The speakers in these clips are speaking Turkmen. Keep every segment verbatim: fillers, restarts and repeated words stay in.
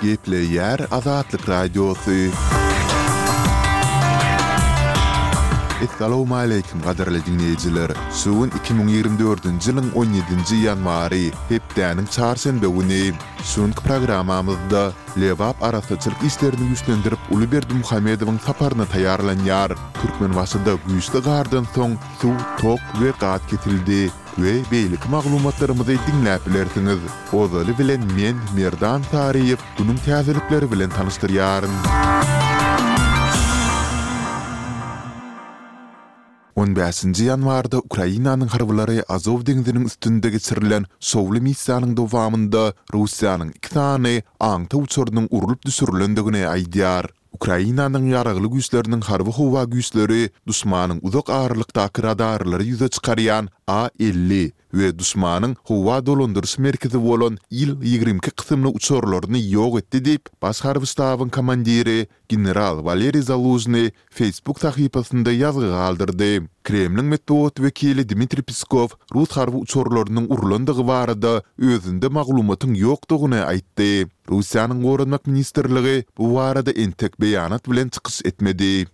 Gepleýär Azatlyk Radiosy. Essalawmaleýkim gadyrly diňleýjiler! Şu gün iki müň ýigrimi dördünji ýylyň on ýedinji ýanwary, hepdäniň çarşenbe güni. Şu günki programmamyzda Lebap arassaçylyk işlerini güýçlendirip uly Berdimuhamedowyň saparyna taýýarlanýar. Türkmenbaşyda güýçli gardan soň suw, tok we gaz kesildi we beýleki maglumatlarymyzy diňläp bilersiňiz. Ozaly bilen men Merdan Saryýew günüň täzelikleri bilen tanyşdyrýaryn. On bäşinji ýanwarda Ukrainanyň harbylary Azow deňziniň üstünde geçirilen şowly missiýanyň dowamynda Russiýanyň iki sany aňtaw uçarynyň urlup düşürilendigini aýdýar. Ukrainanyň Ýaragly Güýçleriniň harby-howa güýçleri duşmanyň uzak aralykdaky radarlary ýüze çykarýan A elli we duşmanyň howa dolandyryş merkezi bolan Il ýigrimi iki kysymly uçarlaryny ýok etdi diýip, Baş harby ştabyň komandiri general Waleriý Zalužnyý Facebook sahypasynda ýazgy galdyrdy. Kremliň metbugat wekili Dmitriý Peskow rus harby uçarlarynyň urlandygy barada özünde maglumatyň ýokdugyny aýtdy. Russiýanyň Goranmak ministrligi bu barada entek beýanat bilen çykyş etmedi.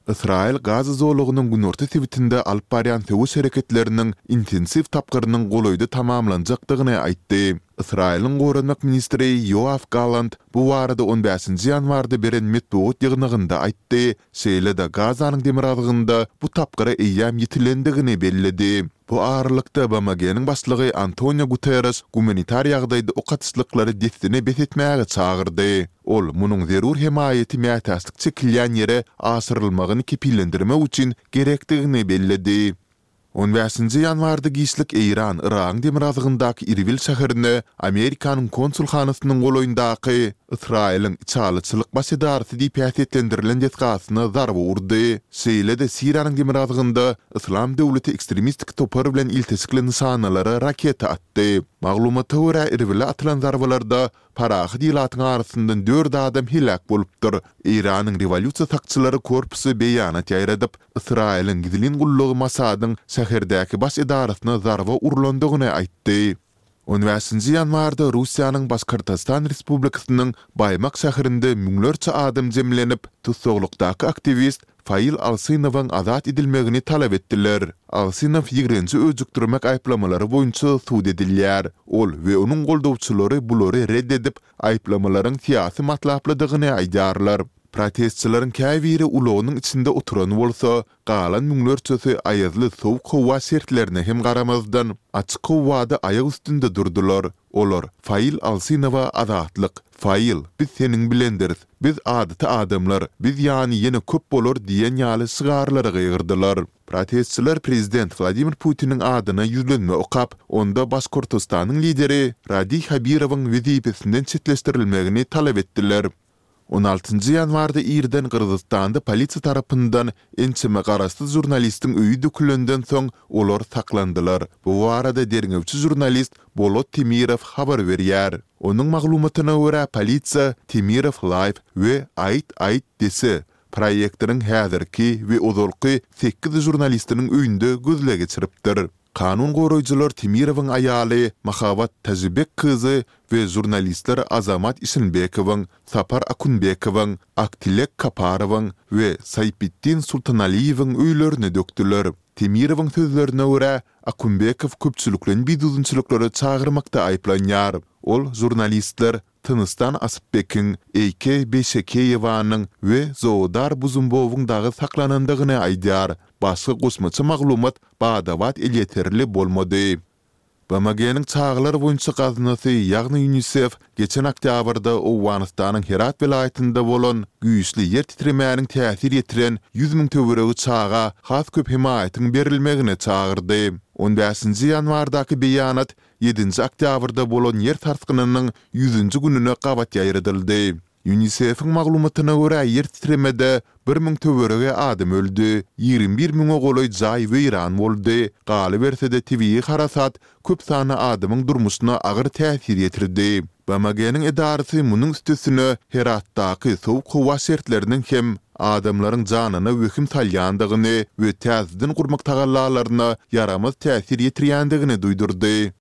Ysraýyl Gaza zolagynyň günorta sebitinde alyp barýan söweş hereketleriniň intensiw tapgyrynyň golaýda tamamlanjakdygyny aýtdy. Ysraýylyň goranmak ministri Ýoaw Gallant bu barada on bäşinji ýanwarda beren metbugat ýygnagynda aýtdy, şeýle-de Gazanyň demirgazygynda bu tapgyra eýýäm ýetilendigini belledi. Bu aralykda, BMG-niň başlygy Antonio Guterreş gumanitar ýagdaýda ok atyşlyklary dessine bes etmäge çagyrdy. Ol munuň zerur hemaýaty mätäçlik çekilýän ýere aşyrylmagyny kepillendirmek üçin gerekdigini belledi. On bäşinji ýanwarda giçlik Eýran Yragyň demirgazygyndaky Irbil şäherine Amerikanyň konsulhanasynyň golaýyndaky Ysraýylyň içalyçylyk baş edarasy diýip häsiýetlendirilen desgasyna zarba urdy. Şeýle-de Siriýanyň demirgazygynda Yslam döwleti ekstremistik topar bilen ilteşikli nyşanalara raketa atdy. Maglumata görä, Irbile atylan zarbalarda Parahat ilatyň arasyndan dört adam heläk bolupdyr. Eýranyň Rewolýusiýa sakçylary korpusy beýanat ýaýradyp, Ysraýylyň gizlin gullugy Mossadyň şäherdäki baş edarasyna zarba urlandygyny aýtdy. On bäşinji ýanwarda Russiýanyň Başkortostan Respublikasynyň Baýmak şäherinde müňlerçe adam jemlenip, tussaglykdaky aktiwist Fail Alsynowyň azat edilmegini talap etdiler. Alsynow ýigrenji öjükdirmek aýyplamalary boýunça sud edilýär. Ol we onuň goldawçylary bulary ret edip, aýyplamalaryň syýasy matlaplydygyny aýdýarlar. Protestçileriň käbiri ulagynyň içinde oturan bolsa, galan müňlerçesi aýazly sowuk howa şertlerine hem garamazdan, açyk howada aýak üstünde durdular. Olar Fail Alsynowa azatlyk, Fail, biz seniň bilendiris, biz adaty adamlar, biz ýany ýene köp bolar diýen ýaly şygarlary gygyrdylar. Protestçiler prezident Wladimir Putiniň adyna ýüzlenme okap, onda Başkortostanyň lideri Radiý Habirowyň wezipesinden çetleşdirilmegini talap etdiler. On altynjy ýanwarda irden Gyrgyzystanda polisiýa tarapyndan ençeme garaşsyz žurnalistiň öýi dökülenden soň, olar saklandylar. Bu barada derňewçi žurnalist Bolot Temirow habar berýär. Onuň maglumatyna görä, polisiýa Temirow Live we Aýt, aýt, dese proýektiniň häzirki we ozalky sekiz žurnalistiniň öýünde gözleg geçiripdir. Kanun goraýjylar Temirowyň aýaly Mahabat Täjibek kyzy we žurnalistler Azamat Işenbekowyň, Sapar Akunbekowyň, Aktilek Kaparowyň we Saýpitdin Sultanaliýewiň öýlerini dökdüler. Temirowyň sözlerine görä, Akunbekow köpçülikleýin bidüzgünçiliklere çagyrmakda aýyplanýar. Ol žurnalistler Tynystan Asypbekiň, Eýke Beýşekeýewanyň we Zoodar Buzumbowyň dagy saklanandygyny aýdýar. Başga goşmaça maglumat bada-bat elýeterli bolmady. BMG-niň Çagalar boýunça gaznasy, ýagny Ýunisef geçen oktýabrda Owganystanyň Herat welaýatynda bolan güýçli ýer titremäniň täsir ýetiren ýüz müň töweregi çaga has köp hemaýatyň berilmegine çagyrdy. On bäşinji ýanwardaky beýanat ýedinji oktýabrda bolan ýer sarsgynynyň ýüzünji gününe gabat ýaýradyldy. Ýunisef-iň maglumatyna görä, ýer titremede bir müň töweregi adam öldi, ýigrimi bir müňe golaý jaý weýran boldy, galyberse-de tebigy harasat köp sanly adamyň durmuşyna agyr täsir ýetirdi. BMG-niň edarasy munuň üstesine Heratdaky sowuk howa şertleriniň hem adamlaryň janyna wehim salýandygyny we täzeden gurmak tagallalaryna ýaramaz täsir ýetirýändigini duýdurdy.